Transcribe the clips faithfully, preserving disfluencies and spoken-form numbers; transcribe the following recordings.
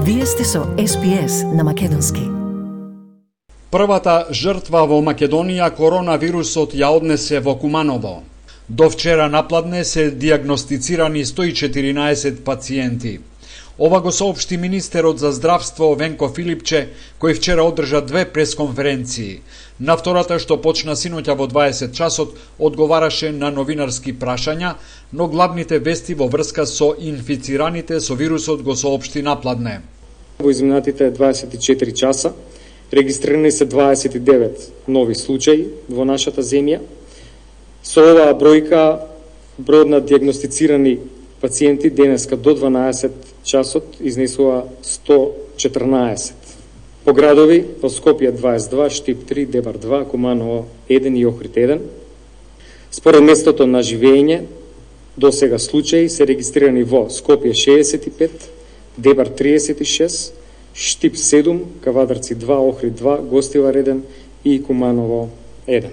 Вие сте со Ес Би Ес на македонски. Првата жртва во Македонија коронавирусот ја однесе во Куманово. До вчера напладне се диагностицирани сто и четиринаесет пациенти. Ова го соопшти министерот за здравство Венко Филипче, кој вчера одржа две пресконференции. На втората, што почна синоќа во дваесет часот, одговараше на новинарски прашања, но главните вести во врска со инфицираните со вирусот го соопшти напладне. Во изминатите дваесет и четири часа регистрирани се дваесет и девет нови случаи во нашата земја. Со оваа бројка, бројот на диагностицирани пациенти денеска до дванаесет часот изнесува сто четрнаесет. По градови, во Скопје дваесет и два, Штип три, Дебар два, Куманово еден и Охрид еден. Според местото на живење, до сега случаи се регистрирани во Скопје шеесет и пет, Дебар триесет и шест, Штип седум, Кавадарци два, Охрид два, Гостивар еден и Куманово еден.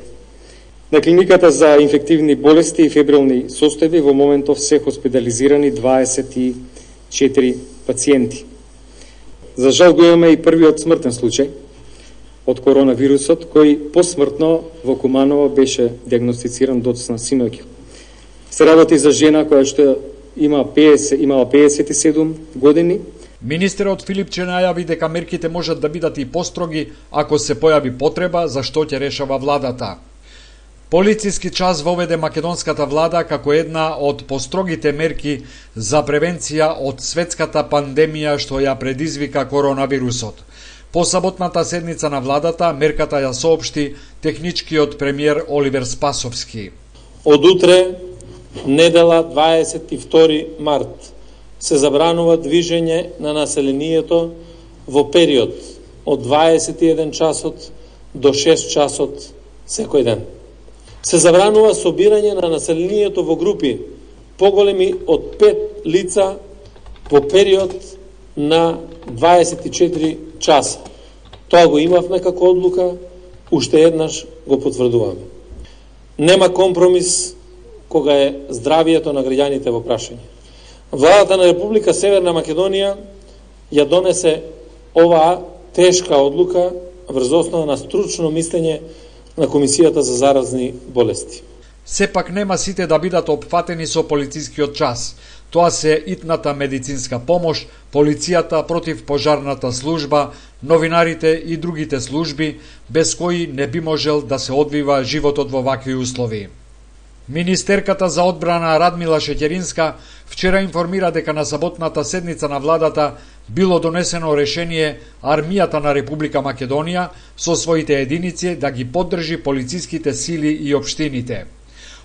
На клиниката за инфективни болести и фебрилни состојби во моментов се хоспитализирани дваесет и четири пациенти. За жал го имаме и првиот смртен случај од коронавирусот, кој посмртно во Куманово беше диагностициран доцна синоќа. Се работи за жена која што има петдесет, имала петдесет и седум години. Министерот Филипче најави дека мерките можат да бидат и построги ако се појави потреба, за што ќе решава владата. Полициски час воведе македонската влада како една од построгите мерки за превенција од светската пандемија што ја предизвика коронавирусот. По саботната седница на владата, мерката ја соопшти техничкиот премиер Оливер Спасовски. Од утре, недела дваесет и втори март, се забранува движење на населението во период од дваесет и еден часот до шест часот секој ден. Се забранува собирање на населението во групи поголеми од пет лица во период на дваесет и четири часа. Тоа го имавме како одлука, уште еднаш го потврдуваме. Нема компромис кога е здравието на граѓаните во прашање. Владата на Република Северна Македонија ја донесе оваа тешка одлука врз основа на стручно мислење на Комисијата за заразни болести. Сепак нема сите да бидат опфатени со полицискиот час. Тоа се итната медицинска помош, полицијата, противпожарната служба, новинарите и другите служби, без кои не би можел да се одвива животот во вакви услови. Министерката за одбрана Радмила Шеќеринска вчера информира дека на саботната седница на владата било донесено решение армијата на Република Македонија со своите единици да ги поддржи полициските сили и општините.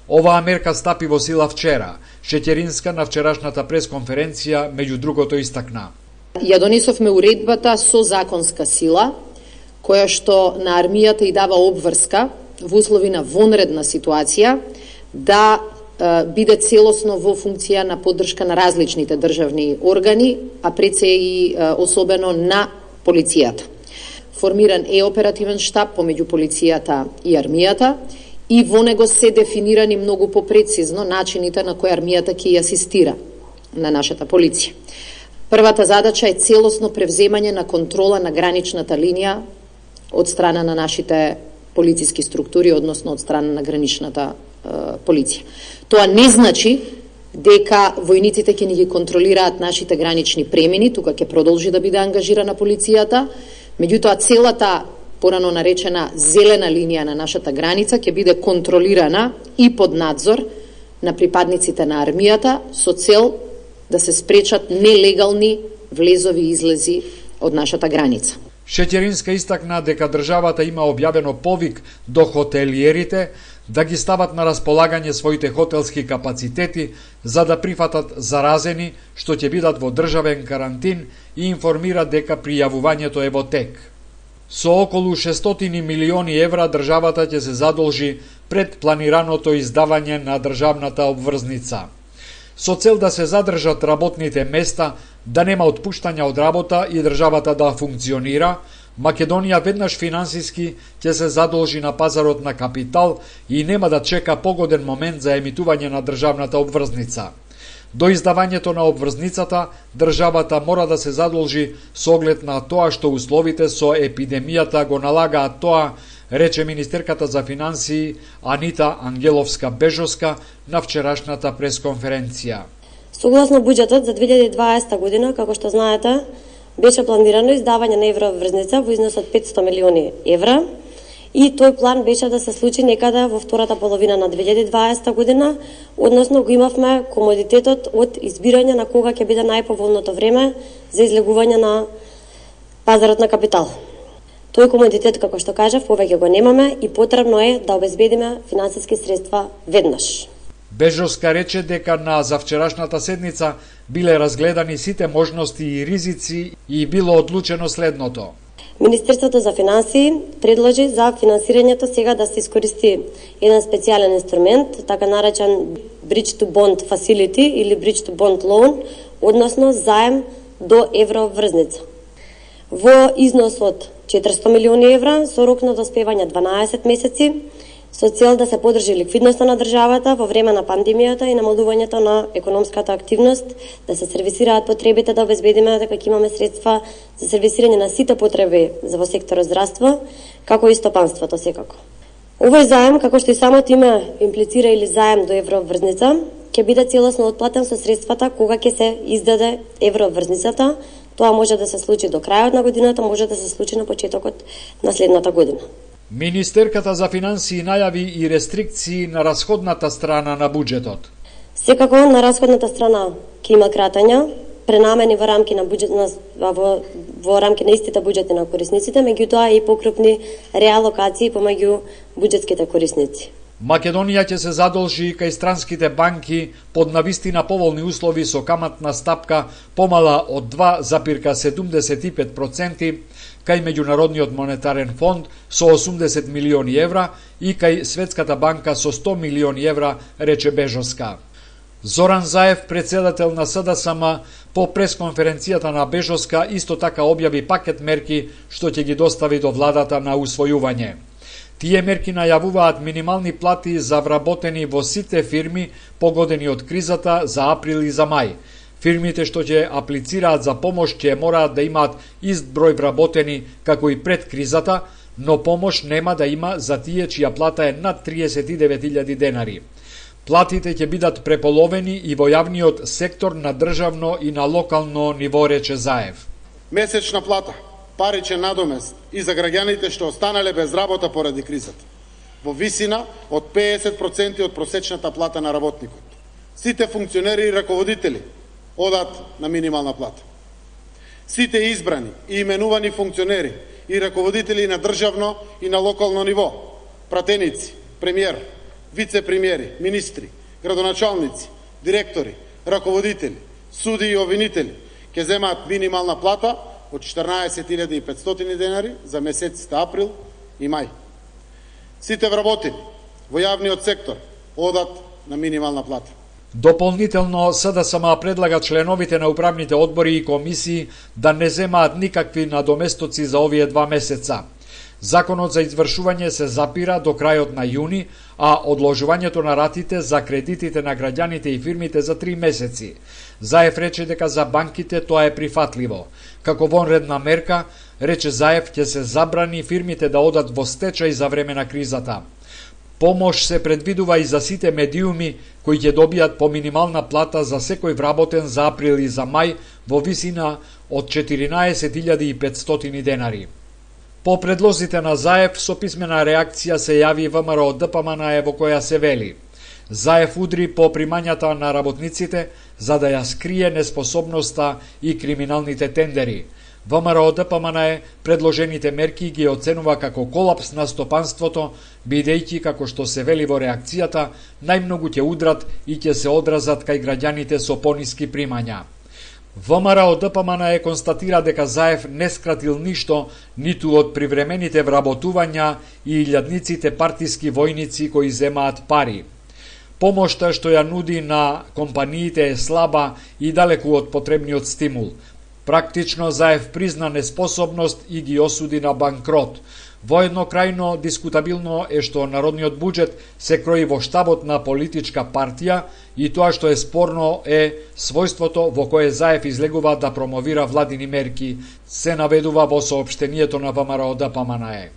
Оваа мерка стапи во сила вчера. Шеќеринска на вчерашната пресконференција меѓу другото истакна. Ја донесовме уредбата со законска сила, која што на армијата и дава обврска во услови на вонредна ситуација да е, биде целосно во функција на поддршка на различните државни органи, а пред се и е, особено на полицијата. Формиран е оперативен штаб помеѓу полицијата и армијата и во него се дефинирани многу попрецизно начините на кои армијата ќе ја асистира на нашата полиција. Првата задача е целосно превземање на контрола на граничната линија од страна на нашите полициски структури, односно од страна на граничната полиција. Тоа не значи дека војниците ќе ни ги контролираат нашите гранични премини, тука ќе продолжи да биде ангажирана полицијата, меѓутоа целата порано наречена зелена линија на нашата граница ќе биде контролирана и под надзор на припадниците на армијата со цел да се спречат нелегални влезови и излези од нашата граница. Шеќеринска истакна дека државата има објавено повик до хотелиерите да ги стават на располагање своите хотелски капацитети за да прифатат заразени што ќе бидат во државен карантин и информира дека пријавувањето е во тек. Со околу шестстотини милиони евра државата ќе се задолжи пред планираното издавање на државната обврзница. Со цел да се задржат работните места, да нема отпуштања од работа и државата да функционира, Македонија веднаш финансиски ќе се задолжи на пазарот на капитал и нема да чека погоден момент за емитување на државната обврзница. До издавањето на обврзницата, државата мора да се задолжи со оглед на тоа што условите со епидемијата го налагаат тоа, рече министерката за финансии Анита Ангеловска-Бежоска на вчерашната пресконференција. Согласно буџетот за две илјади и дваесета година, како што знаете, беше планирано издавање на еврообврзница во износ од петстотини милиони евра и тој план беше да се случи некаде во втората половина на две илјади и дваесета година, односно го имавме комодитетот од избирање на кога ќе биде најповолното време за излегување на пазарот на капитал. Тој комодитет, како што кажав, повеќе го немаме и потребно е да обезбедиме финансиски средства веднаш. Бежоска рече дека на завчерашната седница биле разгледани сите можности и ризици и било одлучено следното. Министерството за финансии предложи за финансирањето сега да се искористи еден специјален инструмент, така наречен Bridge to Bond Facility или Bridge to Bond Loan, односно заем до еврообврзница. Во износ од четиристотини милиони евра со рок на доспевање дванаесет месеци, со цел да се подржи ликвидноста на државата во време на пандемијата и намалувањето на економската активност, да се сервисираат потребите, да обезбедиме дека ќе имаме средства за сервисирање на сите потреби за во секторот здравство, како и стопанството секако. Овој заем, како што и самото име имплицира или заем до еврообврзница, ќе биде целосно отплатен со средствата кога ќе се издаде еврообврзницата. Тоа може да се случи до крајот на годината, може да се случи на почетокот на следната година. Министерката за финансии најави и рестрикции на расходната страна на буџетот. Секако на расходната страна ќе има кратања, пренамени во рамки на буџет на во, во рамки на истите буџети на корисниците, меѓутоа и покрупни реалокации помеѓу буџетските корисници. Македонија ќе се задолжи кај странските банки под навистина поволни услови со каматна стапка помала од два запирка седумдесет и пет проценти, кај Меѓународниот монетарен фонд со осумдесет милиони евра и кај Светската банка со сто милиони евра, рече Бежоска. Зоран Заев, председател на СДСМ, по пресконференцијата на Бежоска исто така објави пакет мерки што ќе ги достави до владата на усвојување. Тие мерки најавуваат минимални плати за вработени во сите фирми погодени од кризата за април и за мај. Фирмите што ќе аплицираат за помош ќе мораат да имаат ист број вработени како и пред кризата, но помош нема да има за тие чија плата е над триесет и девет илјади денари. Платите ќе бидат преполовени и во јавниот сектор на државно и на локално ниво, рече Заев. Месечна плата, паричен надомест и за граѓаните што останале без работа поради кризата, во висина од петдесет проценти од просечната плата на работникот. Сите функционери и раководители одат на минимална плата. Сите избрани и именувани функционери и раководители на државно и на локално ниво, пратеници, премиер, вице-премиери, министри, градоначалници, директори, раководители, суди и обвинители ќе земаат минимална плата од четрнаесет илјади и петстотини денари за месеците април и мај. Сите вработени во јавниот сектор одат на минимална плата. Дополнително, СДСМ предлага членовите на управните одбори и комисии да не земаат никакви надоместоци за овие два месеца. Законот за извршување се запира до крајот на јуни, а одложувањето на ратите за кредитите на граѓаните и фирмите за три месеци. Заев рече дека за банките тоа е прифатливо. Како вонредна мерка, рече Заев, ќе се забрани фирмите да одат во стечај за време на кризата. Помош се предвидува и за сите медиуми кои ќе добијат по минимална плата за секој вработен за април и за мај во висина од четиринаесет илјади и петстотини денари. По предлозите на Заев, со писмена реакција се јави ВМРО ДПМН во која се вели: Заев удри по примањата на работниците за да ја скрие неспособноста и криминалните тендери. ВМРО ДПМН предложените мерки ги оценува како колапс на стопанството, бидејќи, како што се вели во реакцијата, најмногу ќе удрат и ќе се одразат кај граѓаните со пониски примања. ВМРО ДПМН констатира дека Заев не скратил ништо ниту од привремените вработувања и илјадниците партиски војници кои земаат пари. Помошта што ја нуди на компаниите е слаба и далеку од потребниот стимул. Практично Заев призна неспособност и ги осуди на банкрот. Воедно крајно дискутабилно е што народниот буџет се крои во штабот на политичка партија и тоа што е спорно е својството во кое Заев излегува да промовира владини мерки, се наведува во соопштението на ВМРО Д П М Н Е.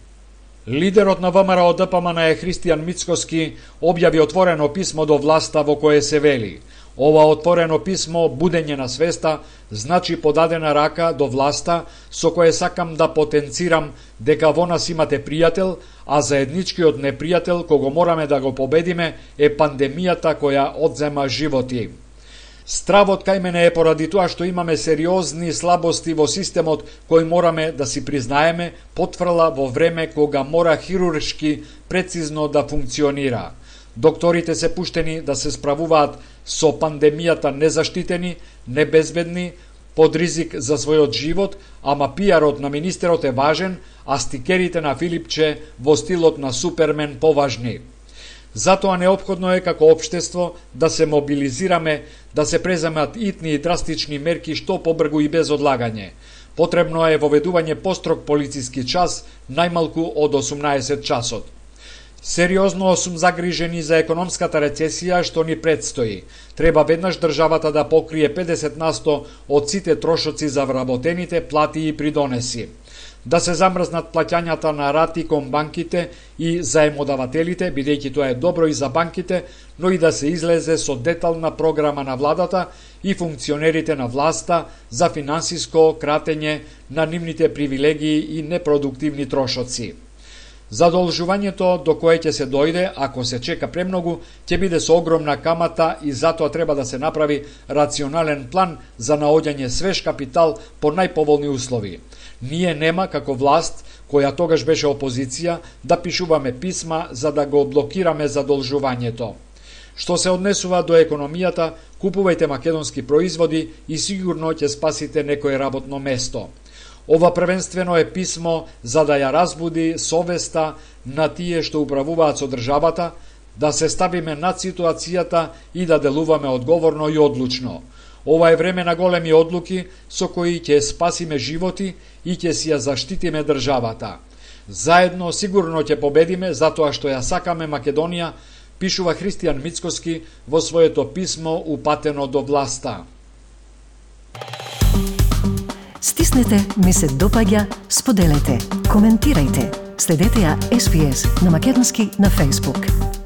Лидерот на ВМРО Д П М Н Е Христијан Мицкоски објави отворено писмо до власта во кое се вели: ова отворено писмо, будење на свеста, значи подадена рака до власта со кое сакам да потенцирам дека во нас имате пријател, а заедничкиот непријател кого мораме да го победиме е пандемијата која одзема животи. Стравот кај мене е поради тоа што имаме сериозни слабости во системот кој мораме да си признаеме потврла во време кога мора хируршки прецизно да функционира. Докторите се пуштени да се справуваат со пандемијата незаштитени, небезбедни, под ризик за својот живот, ама пиарот на министерот е важен, а стикерите на Филипче во стилот на Супермен поважни. Затоа неопходно е како општество да се мобилизираме, да се преземат итни и драстични мерки што побргу и без одлагање. Потребно е воведување построг полициски час, најмалку од осумнаесет часот. Сериозно сум загрижени за економската рецесија што ни предстои. Треба веднаш државата да покрие педесет на сто од сите трошоци за вработените плати и придонеси. Да се замрзнат плаќањата на рати кон банките и заемодавателите, бидејќи тоа е добро и за банките, но и да се излезе со детална програма на владата и функционерите на власта за финансиско кратење на нивните привилегии и непродуктивни трошоци. Задолжувањето до кое ќе се дојде, ако се чека премногу, ќе биде со огромна камата и затоа треба да се направи рационален план за наоѓање свеж капитал по најповолни услови. Ние нема, како власт, која тогаш беше опозиција, да пишуваме писма за да го блокираме задолжувањето. Што се однесува до економијата, купувајте македонски производи и сигурно ќе спасите некое работно место. Ова првенствено е писмо за да ја разбуди совеста на тие што управуваат со државата, да се ставиме над ситуацијата и да делуваме одговорно и одлучно. Ова е време на големи одлуки со кои ќе спасиме животи и ќе си ја заштитиме државата. Заедно сигурно ќе победиме затоа што ја сакаме Македонија, пишува Христијан Мицкоски во своето писмо упатено до власта. Стиснете, ми се допаѓа, споделете, коментирајте. Следете ја Ес Би Ес на македонски на Facebook.